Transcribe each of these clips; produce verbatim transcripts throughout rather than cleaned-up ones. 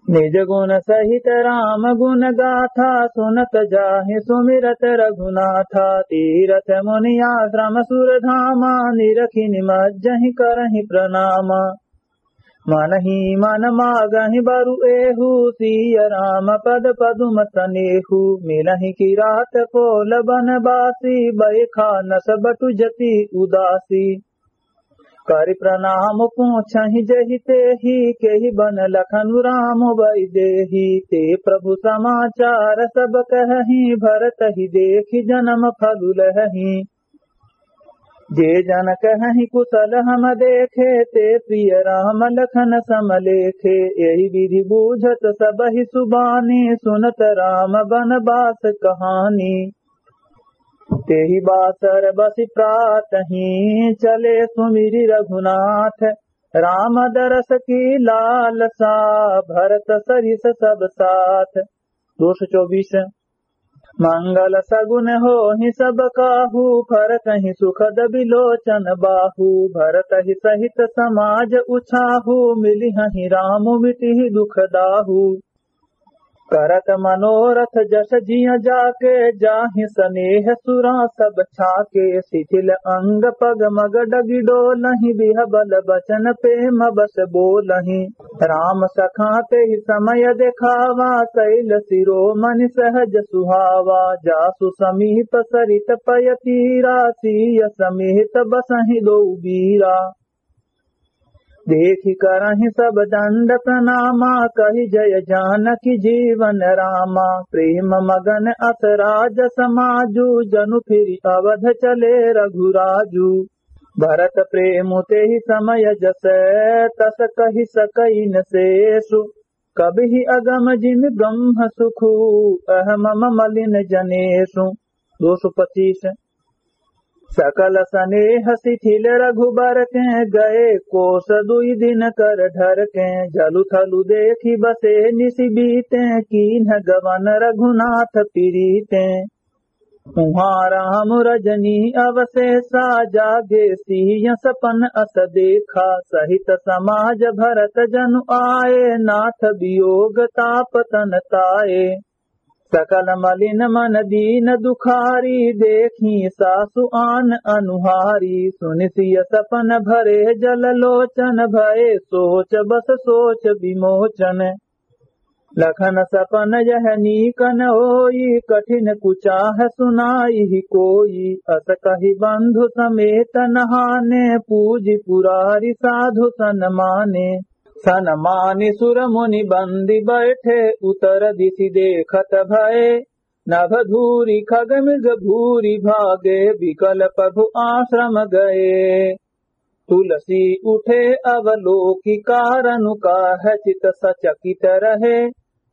निज गुण सहित राम गुण गाथा, सुनत जाहि सुमिरत रघुनाथा। तीरथ मुनि आश्रम सुर धामा, निरखि निमज्जहि करहि प्रणामा। मनहि मन मागहि बरु एहू, सिय राम पद पदुम सनेहू। मिलहि किरात कोल बनबासी, बयखा नस बटु जति उदासी। करि प्रणाम पूछहि जेहि तेहि, केहि बन लखनु राम वैदेही। ते प्रभु समाचार सब कहहि, भरत ही देखि जनम फलु लहहि। जे जन कहहि कुशल हम देखे, ते प्रिय राम लखन सम लेखे। एहि विधि बूझत सबहि सुबानी, सुनत राम बनबास कहानी। तेहि बासर बसि प्रातहि, चले सुमिरि रघुनाथ। राम दरस की लालसा, भरत सरिस सब साथ। दो सौ चौबीस। मंगल सगुन होहि सब काहू, फरकहि सुखद बिलोचन बाहू। भरतहि सहित समाज उछाहू, मिलिहहि राम मिटिहि दुख दाहू। करत मनोरथ जस जिय जाके, जाहि सनेह सुरा सब छाके। शिथिल अंग पग मग डगि डोलहि, बिहबल बचन प्रेम बस बोलहि। राम सखा तेहि समय देखावा, शैल शिरोमणि सहज सुहावा। जासु समीप सरित पय तीरा, सिय समेत बसहि दोउ बीरा। देखि करहि सब दंड प्रणामा, कहि जय जानकी जीवन रामा। प्रेम मगन अस राज समाजु, जनु फिरि अवध चले रघुराजु। भरत प्रेम तेहि समय जस, तस कहि सकइ न शेषु। कबिहि अगम जिमि ब्रह्म सुखु, अह मम मलिन जनेषु। दो सौ पच्चीस। सकल सनेह शिथिल रघुबर कें, गए कोस दुइ दिन कर ढर कें। जलु थलु देखि बसे निसि बीतें, कीन्ह गवन रघुनाथ पिरीतें। उहाँ राम रजनी अवसेसा, जागे सिय सपन अस देखा। सहित समाज भरत जनु आए, नाथ वियोग ताप तन ताए। सकल मलिन मन दीन दुखारी, देखी सासु आन अनुहारी। सुनि सिय सपन भरे जल लोचन, भए सोच बस सोच विमोचन। लखन सपन यह नीक न होई, कठिन कुचाह सुनाइहि कोई। अस कहि बंधु समेत नहाने, पूजि पुरारि साधु सन माने। सन मानि सुर मुनि बंदी बैठे, उतर दिसि देखत भए। नभ धूरि खग मृग भूरि भागे, बिकल प्रभु आश्रम गए। तुलसी उठे अवलोकि कारनु काह चित सचकित रहे।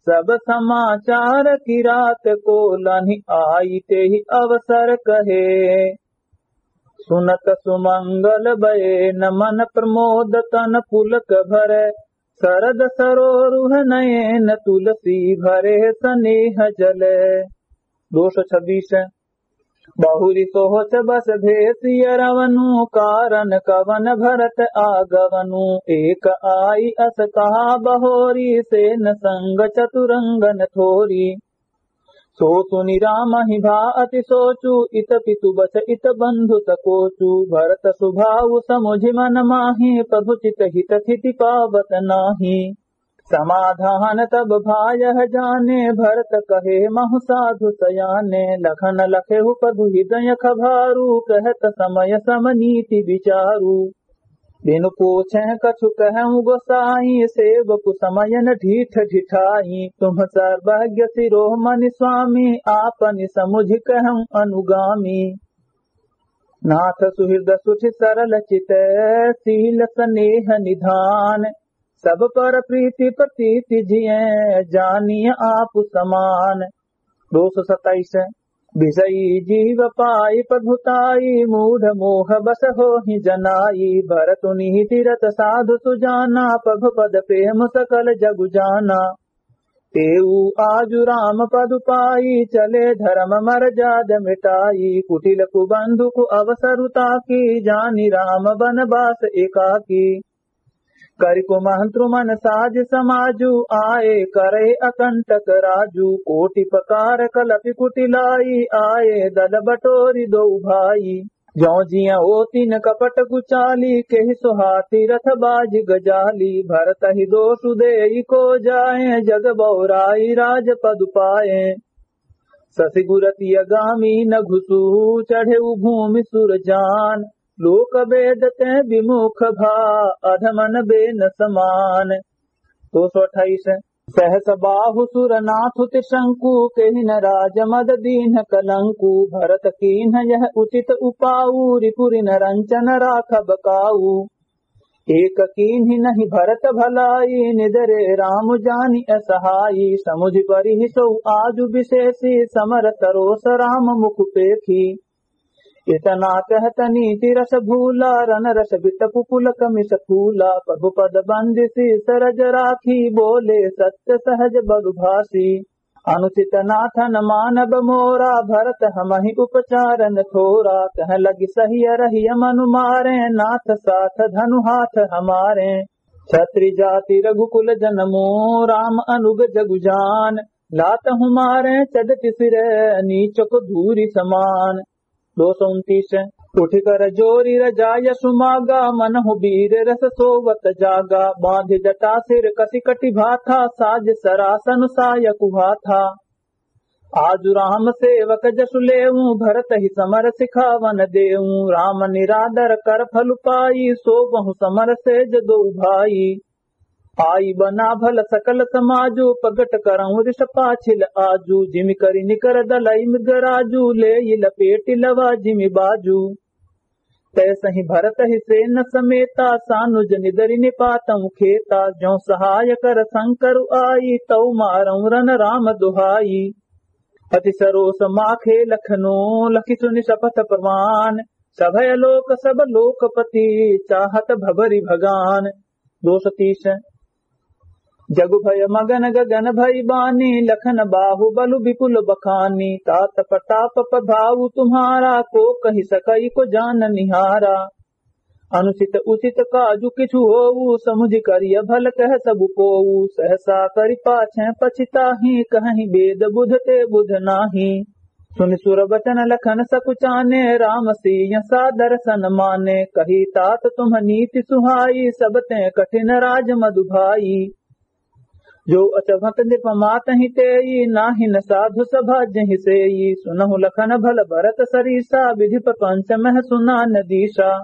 सब समाचार किरात कोलन्हि आई तेहि अवसर कहे। सुनत सुमंगल बयेन मन प्रमोद तन पुलक भरे। सरद सरोरुह नयन तुलसी भरे सनेह जले। दो सौ छब्बीस। बहुरि सोच बस भेसिय रवनु, कारण कवन भरत आगवनु। एक आई अस कहा बहोरी, सेन संग चतुरंगन थोरी। सो सुनि रामहि भा अति सोचु, इत पितु बच इत बंधु सकोचु। भरत सुभाउ समुझि मन माहि, प्रभु चित हित थिति पावत नाही। समाधान तब भा यह जाने, भरत कहे महु साधु सयाने। लखन लखेहु प्रभु हृदय खभारु, कहत समय सम नीति विचारु। बिनु पूछे कछु कहउँ गोसाई, सेवकु समयन ढीठ ढिठाई। तुम सर्वज्ञ शिरोमणि स्वामी, आपनि समुझि कहउँ अनुगामी। नाथ सुहृद सुठि सरल चित, शील सनेह निधान। सब पर प्रीति प्रतीति जियँ, जानिय आपु समान। दो सौ सत्ताईस। विषयी जीव पाई प्रभुताई, मूढ़ मोह बस होहि जनाई। भरतु निहिति रत साधु सुजाना, प्रभु पद प्रेम सकल जगु जाना। तेऊ आजु राम पदु पाई, चले धर्म मरजाद मिटाई। कुटिल कुबंधु कु अवसरु ताकी, जानि राम बनबास एकाकी। करि कुमंत्रु मन साज समाजु, आए करे अकंटक राजु। कोटि प्रकार कलपि कुटिलाई, आए दल बटोरि दोउ भाई। जौं जिया ओतिन कपट गुचाली, केहि सोहा तीरथ बाजि गजाली। भरतहि दोसु देइ को जाए, जग बौराइ राज पदु पाए। ससि गुरति अगामी नघुसु, चढ़ेउ भूमि सुर जान। लोक बेद ते विमुख भा, अधमन बे न समान। दोसो अठाइस। सहस बाहु सुर नाथु त्रिशंकु, केहि न राज मद दीन्ह कलंकु। भरत कीन्ह यह उचित उपाऊ, रिपु रिन रंचन राखब काऊ। एक कीन्हि नहि भरत भलाई, निदरे राम जानि असहाई। समुझि परिहि सोउ आजु बिसेसी, समर सरोस राम मुख पेखी। इतना कहत नीति रस भूला, रन रस बिटपु पुलक मिस फूला। प्रभु पद बंदिसी सरज राखी, बोले सत्य सहज बलु भासी। अनुचित नाथन मानब मोरा, भरत हमहि उपचारन थोरा। कह लगी सहिय रहिय मनु मारे, नाथ साथ धनु हाथ हमारे। छत्री जाति रघुकुल जनमो, राम अनुग जगु जान। लात हमारे चदति सिर, नीचक धूरि समान। दो सौ उनतीस। उठि कर जोरि रजा यसु मागा, मनहु वीर रस सोवत जागा। बाँधि जटा सिर कसि कटि भाथा, साज सरासन सायकु हाथा। आजु राम सेवक जसु लेऊ, भरतहि समर सिखावन देऊ। राम निरादर कर फल पाई, सोवहु समर सेज दोउ भाई। आई बना भल सकल समाजु, प्रगट करउँ रिस पाछिल आजु। जिमि करि निकर दलइ मृगराजु, लेइ लपेटि लवा जिमि बाजु। तैसहि भरतहि सेन समेता, सानुज निदरि निपातउँ खेता। जौं सहाय कर संकरु आई, तउ मारउँ रन राम दुहाई। अति सरोस माखे लखनो, लखि सुनि सपथ प्रमाण। सभय लोक सब लोकपति, चाहत भबरि भगान। दो सौ तीस। जगु भय मगन गगन भई बानी, लखन बाहु बलु विपुल बखानी। तात प्रताप प्रभाउ तुम्हारा, को कहि सकइ को जान निहारा। अनुचित उचित काजु किछु होऊ, समुझि करिय भल कह सबु कोऊ। सहसा करि पाछे पछिताही, कहहिं बेद बुध ते बुध नाही। सुनि सुर बचन लखन सकुचाने, राम सिय सादर सन माने। कही तात तुम्ह नीति सुहाई, सब ते कठिन राज मधु भाई। जो अचभत नृप मातहि तेई, नाहिन साधु सभा जहि सेई। सुनहु लखन भल भरत सरीसा, विधि प्रपंच मह सुना न दीसा।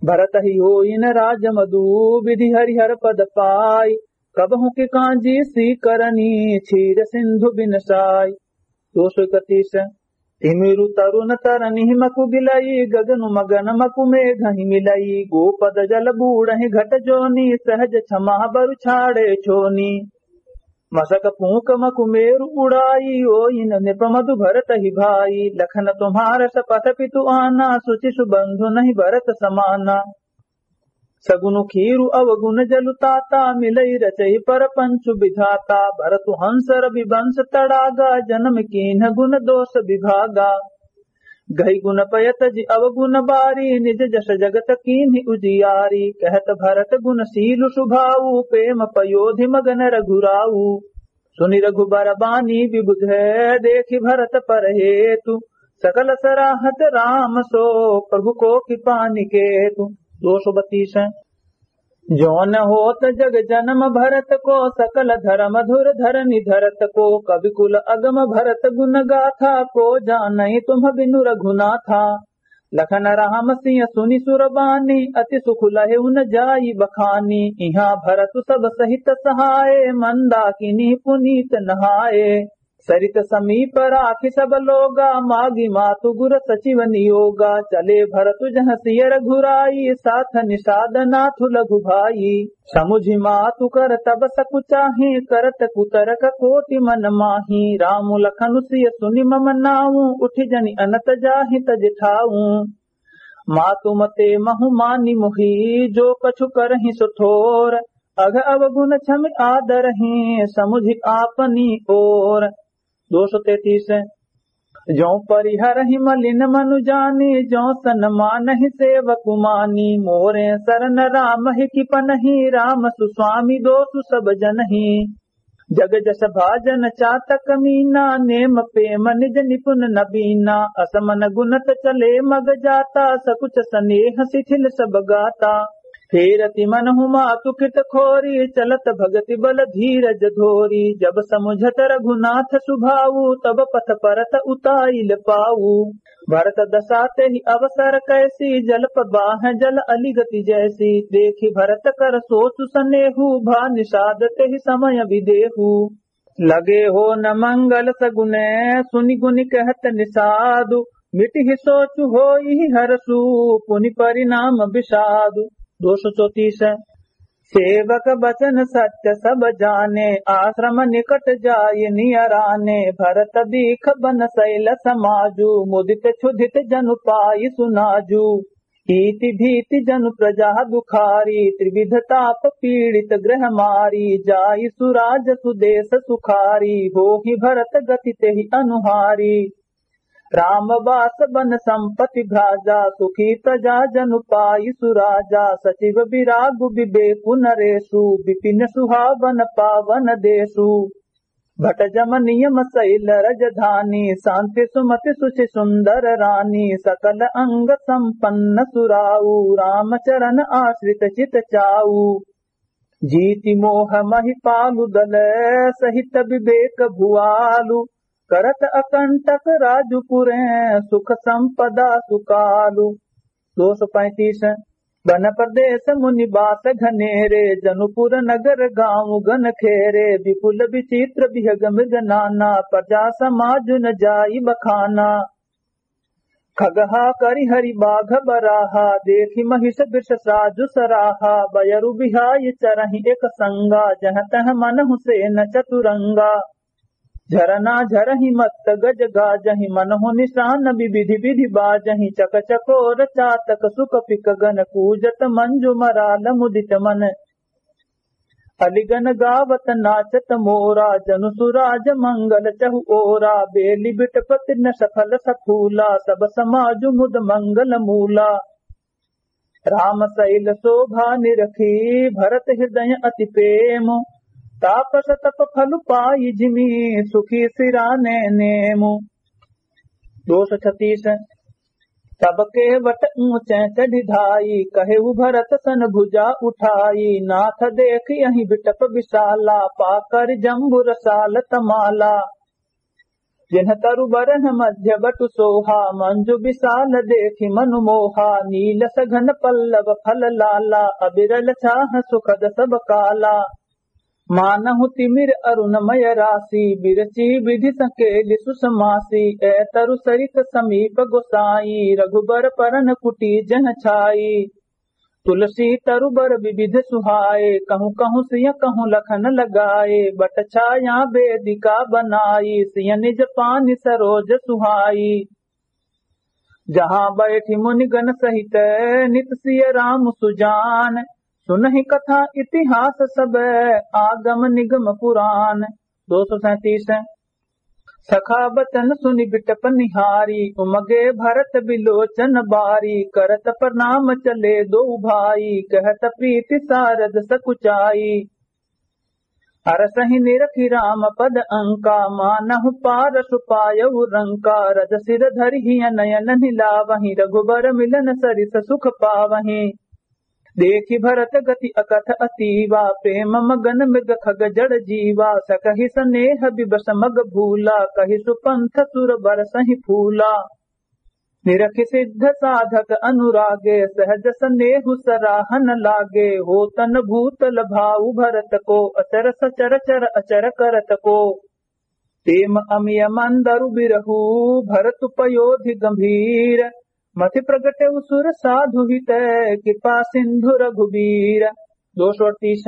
भरतहि होइन राज मधु, विधि हरिहर पद पाई। कबहु कि काँजी सी करनी, क्षीर सिंधु बिन साई। दो सौ इकतीस। तिमिरु तरुन तरनि हिमकु गिलई, गगनु मगन मकु मेघहि मिलई। गोपद जल बूड़हि घट जोनी, सहज क्षमा बरु छाड़े छोनी। मसक पूँक मकु मेरु उड़ाई, होइन नृप मधु भरतहि भाई। लखन तुम्हार सपथ पितु आना, सुचि सुबंधु नहीं भरत समाना। सगुन कीरु अवगुन जलु ताता, मिलई रचई परपंचु विधाता। भरतु हंस रवि वंश तड़ागा, जनम कीन्ह गुन दोष विभागा। गई गुन पय तजि अवगुन बारी, निज जस जगत कीन्हि उजियारी। कहत भरत गुन शीलु सुभाऊ, प्रेम पयोधि मगन रघुराऊ। सुनि रघुबर बानी विबुध है, देखि भरत पर हेतु। सकल सराहत राम सो, प्रभु को कृपा निकेतु। दो सौ बत्तीस। जो न होत जग जनम भरत को, सकल धरम धुर धरनि धरत को। कवि कुल अगम भरत गुन गाथा, को जानइ तुम्ह बिनु रघुनाथा। लखन राम सिय सुनि सुर बानी, अति सुख लहे उन जाई बखानी। इहाँ भरतु सब सहित सहाय, मंदाकिनी पुनीत नहाय। सरित समीप राखि सब लोगा, मागि मातु गुर सचिव नियोगा। चले भरतु जहाँ सिय रघुराई, साथ निषाद नाथु लघु भाई। समुझि मातु कर तब सकुचाही, करत कुतरक कोटि मन माही। राम लखन सिय सुनि मम नाऊ, उठि जनि अनत जाहि तजि ठाऊ। मातु मते महु मानि मोही, जो कछु करहिं सो थोर। अघ अवगुन क्षमि आदरहिं, समुझि आपनी ओर। दो सौ तैंतीस। जो परिहरहि मलिन मनु जानी, जो सन मानहि सेवकु मानी। मोरे सरन राम हिकि पनही, राम सुस्वामी दोसु सब जनही। जग जस भाजन चातक मीना, नेम पेम निज निपुन नबीना। असमन गुनत चले मग जाता, सकुच सनेह सिथिल सब गाता। फेरति मनहु मातु कित खोरी, चलत भगति बल धीरज धोरी। जब समुझत रघुनाथ सुभाऊ, तब पथ परत उताइल पाऊ। भरत दसा तेहि अवसर कैसी, जलप बाह जल अलिगति जैसी। देखि भरत कर सोचु सनेहु, भा निषाद तेहि समय विदेहु। लगे हो न मंगल सगुने, सुनि गुनि कहत निषादु। मिटिहि सोचु होइहि हरसु, पुनि परिणाम विषादु। दो सौ चौंतीस। सेवक बचन सत्य सब जाने, आश्रम निकट जाय नियराने। भरत दीख बन सैल समाजु, मुदित क्षुधित जनु पाइ सुनाजु। ईति भीति जनु प्रजा दुखारी, त्रिविध ताप पीड़ित गृह मारी। जाई सुराज सुदेश सुखारी, होहि भरत गति तेहि अनुहारी। राम बास बन संपति भ्राजा, सुखी प्रजा जनु पाई सुराजा। सचिव विरागु विवेकु नरेसु, विपिन सुहावन पावन देसु। भट जम नियम सैल रजधानी, शांति सुमति सुचि सुंदर रानी। सकल अंग संपन्न सुराऊ, राम चरण आश्रित चित चाऊ। जीति मोह महिपालु दल, सहित विवेक भुआलु। करत अकंटक राजु पुरे, सुख संपदा सुकालु। दो सौ पैंतीस। बन प्रदेश मुनि बास घनेरे, जनुपुर नगर गाँव गन खेरे। विपुल विचित्र बिहग मृग नाना, प्रजा समाजु न जाई बखाना। खगहा करि हरि बाघ बराहा, देखि महिष वृष साजु सराहा। बयरु बिहाय चरहि एक संगा, जह तह मनहु सेन चतुरंगा। झरना झरहि मत्त गज गाजहि, मनहु निशान विविधि विधि बाजहि। चक चकोर चातक सुक पिक गन, कूजत मंजु मराल मुदित मन। अलिगन गावत नाचत मोरा, जनु सुराज मंगल चहु ओरा। बेलि बिटप तीर्ण सफल सफूला, सब समाजु मुद मंगल मूला। राम सैल शोभा निरखी, भरत हृदय अति प्रेम। तापस तप फल पाई जिमि, सुखी सिराने नेम। दो सौ छत्तीस। तब केवट ऊंचे चढ़ि धाई, कहेउ भरत सन भुजा उठाई। नाथ देखियहि बिटप विशाला, पाकर जम्बुर साल तमाला। जिन्ह तरु बरन मध्य बटु सोहा, मंजु विशाल देखि मनु मोहा। नील सघन पल्लव फल लाला, अविरल छाह सुखद सब काला। मानहु तिमिर अरुणमय राशि, बिरची विधि संकेलि सुसमासी। ए तरु सरित समीप गोसाई, रघुबर परन कुटी जह छाई। तुलसी तरु बर विविध सुहाए, कहूँ कहूँ सिय कहूँ लखन लगाए। बट छाया वेदिका बनाई, सिय निज पानि सरोज सुहाई। जहाँ बैठि मुनिगण सहित, नित सिय राम सुजान। सुनहि कथा इतिहास सब, आगम निगम पुरान। दो सौ सैंतीस। सखा बचन सुनि बिटप निहारी, उमगे भरत बिलोचन बारी। करत प्रणाम चले दोउ भाई, कहत प्रीति सारद सकुचाई। हरसहि निरखि राम पद अंका, मानहु पारसु पायउ रंका। रज सिर धरि हिय नयन निलावहि, रघुबर मिलन सरिस सुख पावहि। देखि भरत गति अकथ अतीवा, प्रेम मगन मृग खग जड़ जीवा। सकहि सनेह विवश मग भूला, कहि सुपंथ सुर बरसहि फूला। निरखि सिद्ध साधक अनुरागे, सहज सनेहु सराहन लागे। होत न भूतल भाउ भरत को, अचर सचर चर अचर करत को। प्रेम अमिय मंदरु बिरहु, भरतु पयोधि गंभीर। मति प्रगटेउ सुर साधु हित, कृपा सिंधु रघुबीर। दो सौ अड़तीस।